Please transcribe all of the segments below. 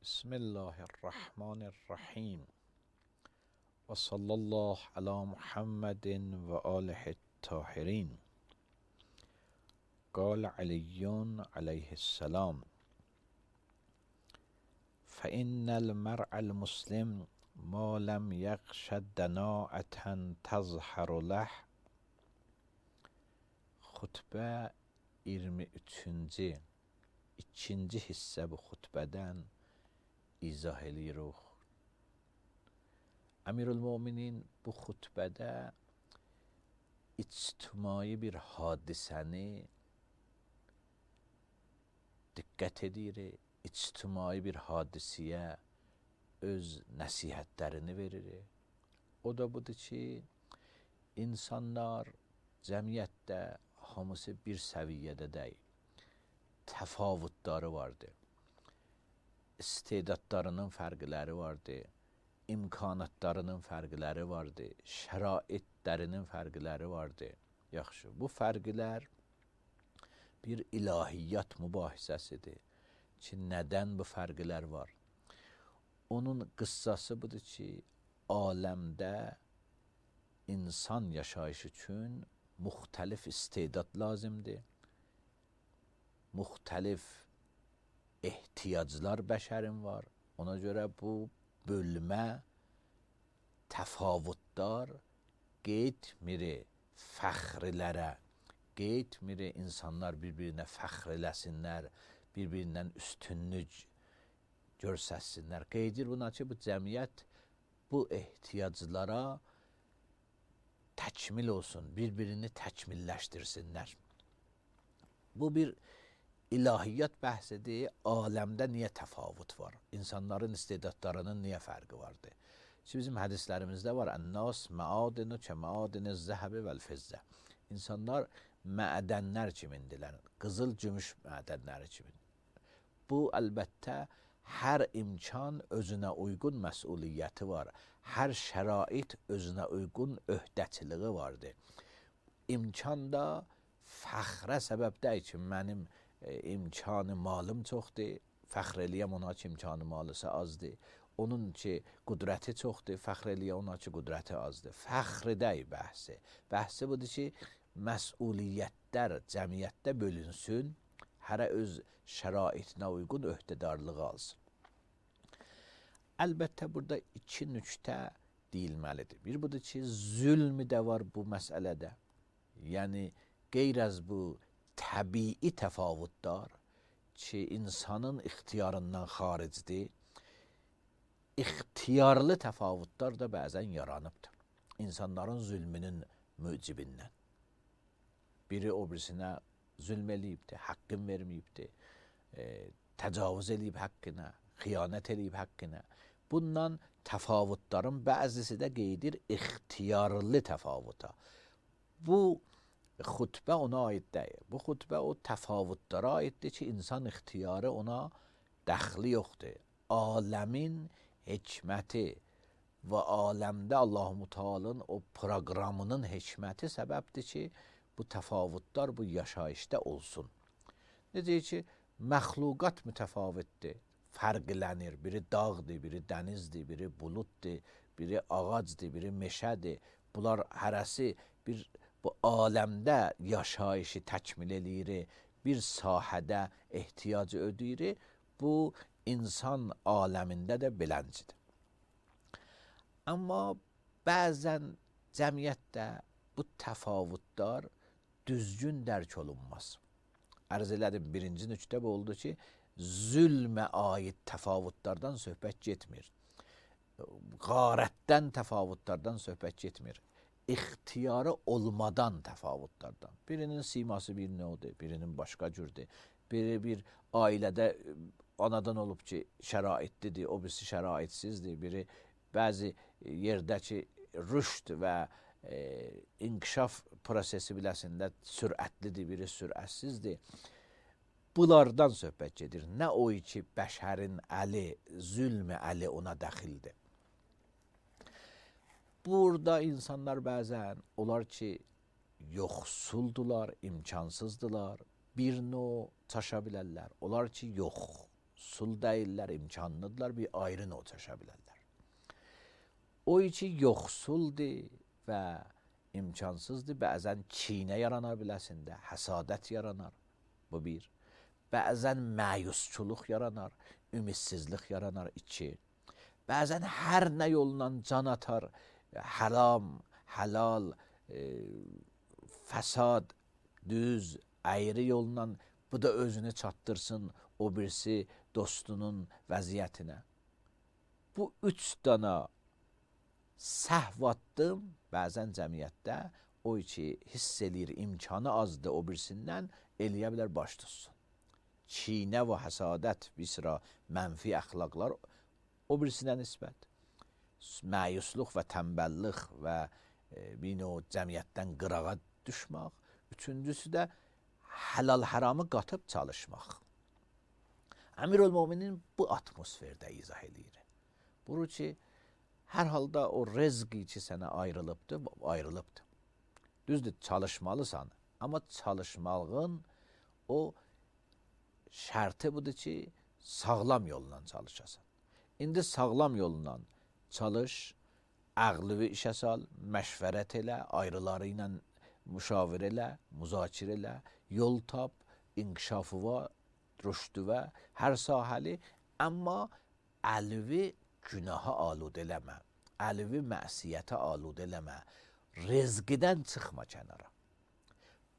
بسم الله الرحمن الرحیم و صلی الله علی محمد و آله الطاهرین. قال علی علیه السلام: فإن المرء المسلم ما لم یغش دناءة تظهر له. Xutbə 23-ci, ikinci hissə bu xutbədən izah eləyirik. Əmirül-Möminin bu xutbədə ictimai bir hadisəni diqqət edir, ictimai bir hadisiyə öz nəsihətlərini verir. O da budur ki, insanlar cəmiyyətdə hamısı bir səviyyədə deyil. Təfavütləri vardır. İstedadlarının fərqləri vardır. İmkanatlarının fərqləri vardır. Şəraitlərinin fərqləri vardır. Yaxşı, bu fərqlər bir ilahiyyat mübahisəsidir ki, nədən bu fərqlər var? Onun qıssası budur ki, aləmdə insan yaşayışı üçün müxtəlif istedad lazımdır. Müxtəlif ehtiyaclar bəşərin var. Ona görə bu bölmə, təfavütlar getmir fəxrlərə, getmir insanlar bir-birinə fəxr eləsinlər, bir-birindən üstünlük görsəsinlər. Qeydir buna ki, bu cəmiyyət bu ehtiyaclara təkmil olsun, bir-birini təkmilləşdirsinlər. Bu bir ilahiyyat bəhsidir. Aləmdə niyə təfavüt var? İnsanların istedadlarının niyə fərqi vardır? Ki, bizim hədislərimizdə var. Ən-nas məadinu kəmaadiniz zəhəbi vəl-fizzə. İnsanlar mədənlər kimindirlər. Qızıl, gümüş mədənləri kimindir. Bu, əlbəttə, hər imkan özünə uyğun məsuliyyəti var. Hər şərait özünə uyğun öhdəçiliği vardır. İmkan da fəxrə səbəb deyil ki, mənim imkanı malım çoxdur, fəxr eləyəm ona ki, imkanı malısı azdır. Onun ki, qüdrəti çoxdur, fəxr eləyəm ona ki, qüdrəti azdır. Fəxr deyil bəhsi. Bəhsi budur ki, məsuliyyətlər cəmiyyətdə bölünsün, hərə öz şəraitinə uyğun öhdədarlığı alsın. Əlbəttə, burada iki nüktə deyilməlidir. Bir budur ki, zülmü də var bu məsələdə. Yəni, qeyr az bu təbii təfavütlar ki, insanın ixtiyarından xaricdir, ixtiyarlı təfavütlar da bəzən yaranıbdır. İnsanların zülmünün mücibindən. Biri o birisinə zülm eləyibdir, haqqın verməyibdir, təcavüz eləyib haqqına, xiyanət eləyib haqqına. Bundan təfavütların bəzisi də qeydir ixtiyarlı təfavüta. Bu xutbə ona aid deyil. Bu xutbə o təfavütlara aiddir ki, insan ixtiyarı ona dəxli yoxdur. Aləmin hikməti və aləmdə Allah-u Teala'nın o proqramının hikməti səbəbdir ki, bu təfavütlar bu yaşayışda olsun. Necə ki, məxluqat mütəfavitdir, fərqlənir. Biri dağdır, biri dənizdir, biri buluddur, biri ağacdır, biri meşədir. Bunlar hərəsi bir bu aləmdə yaşayışı təkmil eləyir, bir sahədə ehtiyacı ödəyir. Bu, insan aləmində də beləncidir. Amma bəzən cəmiyyətdə bu təfavütlar düzgün dərk olunmaz. Ərz elədim, birinci nüktə bu oldu ki, zülmə aid təfavütlardan söhbət getmir. Qarətdən təfavütlardan söhbət getmir. İxtiyarı olmadan təfavütlardan. Birinin siması bir növdür, birinin başqa cürdür. Biri bir ailədə anadan olub ki, şəraitlidir, o birisi şəraitsizddir. Biri bəzi yerdəki rüşd və inkişaf prosesi biləsində sürətlidir, biri sürətsizdir. Bunlardan söhbət gedir. Nə o ki, bəşərin əli, zülmü əli ona dəxildir. Burada insanlar bəzən, onlar ki, yoxsuldular, imkansızdılar, bir növ çaşa bilərlər. Onlar ki, yox, sul deyirlər, imkanlıdırlar, bir ayrı növ çaşa bilərlər. O ki yoxsuldur və imkansızdır, bəzən kinə yaranar biləsində, həsadət yaranar, bu bir. Bəzən məyusçuluq yaranar, ümidsizlik yaranar, iki. Bəzən hər nə yolla can atar, haram, halal, fəsad, düz, əyri yolla bu da özünü çatdırsın o birisi dostunun vəziyyətinə. Bu üç dana səhv atdım bəzən cəmiyyətdə, o ki hiss eləyir imkanı azdır o birisindən, eləyə bilər baş tutsun. Çinə və həsadət, bir sıra mənfi əxlaqlar o birisinə nisbət. Məyusluq və tənbəllik və bir növ cəmiyyətdən qırağa düşmək. Üçüncüsü də halal haramı qatıb çalışmaq. Əmirül-Möminin bu atmosferdə izah edir. Bunu ki, hər halda o rezqi ki sənə ayrılıbdır, ayrılıbdır. Düzdür, çalışmalısan, amma çalışmağın o şərti budur ki, sağlam yolla çalışasan. İndi sağlam yolla çalış, ağlıvi işə sal, məşvərət elə, ayrıları ilə müşavirə elə, müzakirə elə, yol tap, inkişafı var, rüşdü və hər sahəli, amma əlvi günaha alud eləmə, əlvi məsiyyətə alud eləmə, rezqidən çıxma kənara.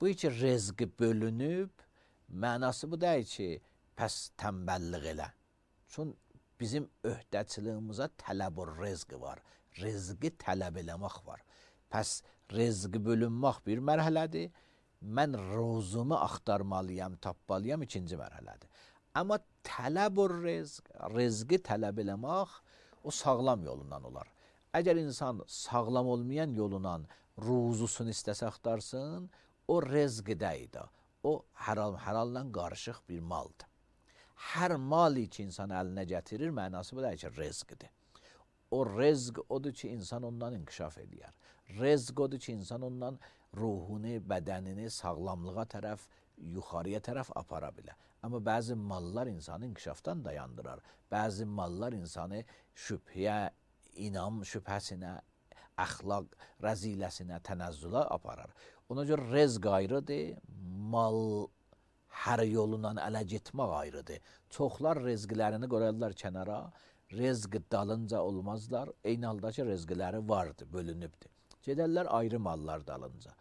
Bu ki, rezqi bölünüb, mənası bu deyil ki, pəs tənbəllik elə. Çün bizim öhdəçiliyimizə tələb-ül rezqi var, rezqi tələb eləmək var. Pəs rezqi bölünmək bir mərhələdir, mən ruzumu axtarmalıyam, tapmalıyam, ikinci mərhələdir. Amma tələb-ül rezq, rezqi tələb eləmək, o sağlam yolundan olar. Əgər insan sağlam olmayan yolundan ruzusunu istəsə axtarsın, o rezqidəydi. O halalla qarışıq bir maldır. Hər mali ki insan əlinə gətirir, mənası bu deyil ki, rezqidir. O rezq odur ki, insan ondan inkişaf edir. Rezq odur ki, insan ondan ruhunu, bədənini sağlamlığa tərəf, yuxarıya tərəf apara bilər. Amma bəzi mallar insanı inkişafdan dayandırar. Bəzi mallar insanı şübhəyə, inam şübhəsinə, əxlaq rəziləsinə, tənəzzülə aparar. Ona görə rezq ayrıdır, mal hər yolundan ələ getmək ayrıdır. Çoxlar rezqlərini qoyarlar kənara, rezq dalınca olmazlar, eyni halda ki, rezqləri vardır, bölünübdür. Gedərlər ayrı mallar dalınca.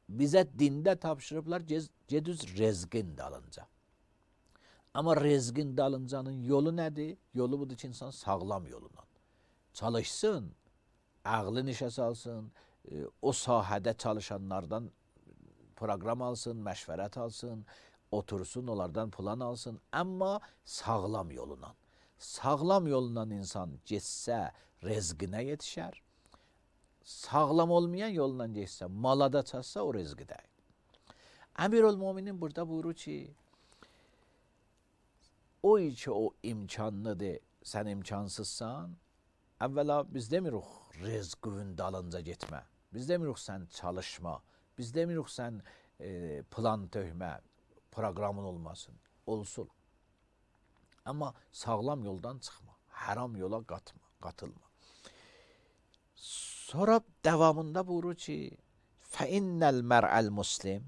Bizə dində tapşırıblar, gedüz rezqin dalınca. Amma rezqin dalıncanın yolu nədir? Yolu budur ki, insan sağlam yolundan çalışsın, ağlını işə salsın, o sahədə çalışanlardan proqram alsın, məşvərət alsın, otursun, onlardan plan alsın, amma sağlam yolundan. Sağlam yolundan insan getsə rezqinə yetişər, sağlam olmayan yolundan getsə, malada çatsa o rezqidəyir. Əmirül-Möminin burada buyurur ki, o ki o imkanlıdır, sən imkansızsan, əvvəla biz demirik rezqin dalınca getmə, biz demirik sən çalışma, biz demirik sən plan töhmə, proqramın olmasın, olsun. Amma sağlam yoldan çıxma, haram yola qatılma. Sonra davamında buyurur ki, فَاِنَّ الْمَرْعَ الْمُسْلِمِ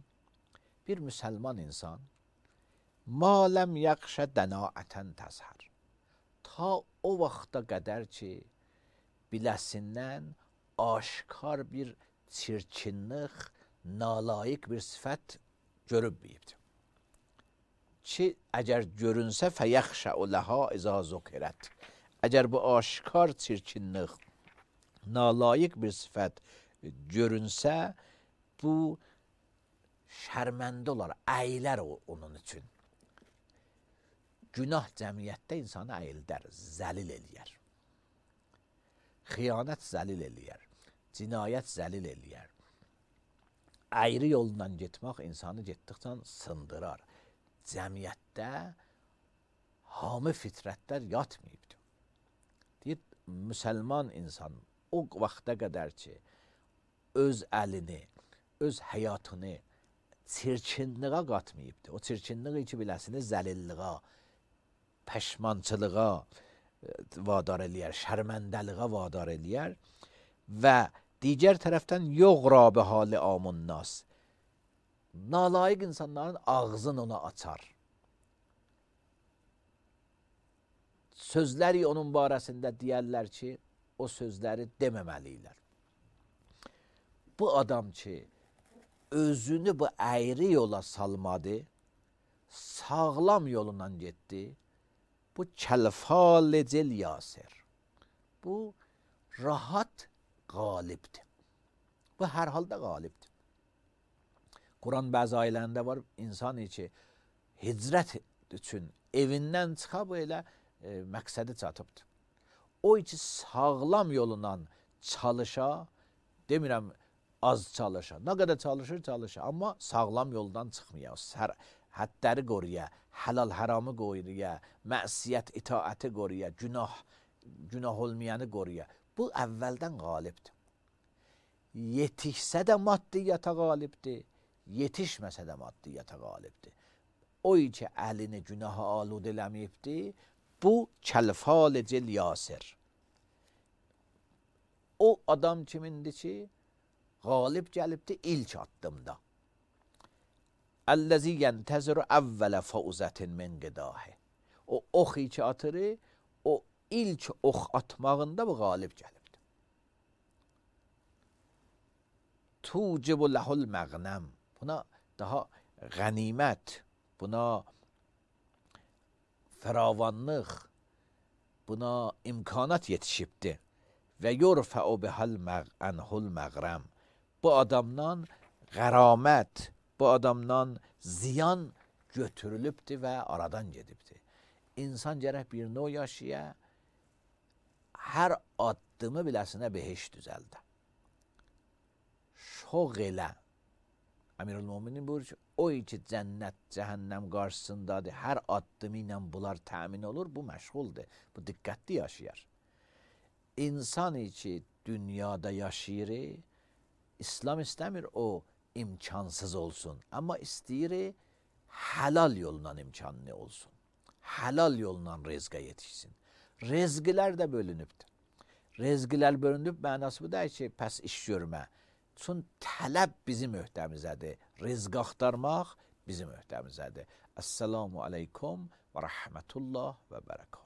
bir müsəlman insan مَا لَمْ يَقْشَ دَنَاعَةً təzhər ta o vaxta qədər ki, biləsindən aşkar bir çirkinlik, nalayiq bir sifət görünməyibdir. Ki, əgər görünsə fəyəxşə o ləhə izə zukirət. Əgər bu aşkar çirkinlik, nalayiq bir sifət görünsə, bu şərməndə olar, əyilər onun üçün. Günah cəmiyyətdə insanı əyildər, zəlil eləyər. Xiyanət zəlil eləyər, cinayət zəlil eləyər. Əyri yolundan getmək insanı getdikcə sındırar. Cəmiyyətdə hamı fitrətlər yatmayıbdır. Deyir, müsəlman insan o vaxta qədər ki, öz əlini, öz həyatını çirkinliğə qatmayıbdır. O çirkinliği ki, biləsiniz, zəlilliğə, peşmançılığa vadar eləyər, şərməndəliğə vadar eləyər və digər tərəfdən yoğra bi hali amun nas. Nalayiq insanların ağzını ona açar. Sözləri onun barəsində deyərlər ki, o sözləri deməməliylər. Bu adam ki, özünü bu əyri yola salmadı, sağlam yolundan getdi, bu kəlfalecil yasir. Bu rahat qalibdir. Bu hər halda qalibdir. Quran bəzi ayələrində var, insan ki, hicrət üçün evindən çıxa belə məqsədi çatıbdır. O ki, sağlam yolundan çalışa, demirəm az çalışa, nə qədər çalışır, amma sağlam yoldan çıxmıyor. Hədləri qoruya, halal haramı qoruya, məsiyyət itaəti qoruya, günah olmayanı qoruya. Bu əvvəldən qalibdir. Yetişsə də maddiyyata qalibdir, yetişməsə də maddiyyata qalibdir. O ki, əlini günaha alud eləməyibdir, bu kəlfalecil yasir. O adam kimindir ki, qalib gəlibdir ilk addımda. Əl-ləzi yəntəziru əvvələ fauzətin min qidahi. O ox ki atırı, o ilk ox atmağında bu qalib gəlibdir. Tucibu ləhul məğnəm. Buna daha qənimət, buna fəravanlıq, buna imkanat yetişibdir. Və yurfəu bihəl ənhul məğrəm. Bu adamdan qəramət, bu adamdan ziyan götürülübdür və aradan gedibdir. İnsan gərək bir növ yaşaya, hər addımı biləsinə beheş düzəldə. Şoq elə. Əmirül-Müminin buyurur ki, o ki cənnət, cəhənnəm qarşısındadır, hər addımı ilə bunlar təmin olur, bu məşğuldur, bu diqqətli yaşayar. İnsan ki dünyada yaşayır, İslam istəmir o imkansız olsun, amma istəyir halal yolundan imkanlı olsun. Halal yolundan rezqə yetişsin. Rezqilər də bölünübdür. Rezqilər bölünüb mənası bu deyil ki, pəs iş görmə. Çün tələb bizim öhdəmizədir. Rezq axtarmaq bizim öhdəmizədir. Əssalamu aleykum və rəhmətullah və bərəkət.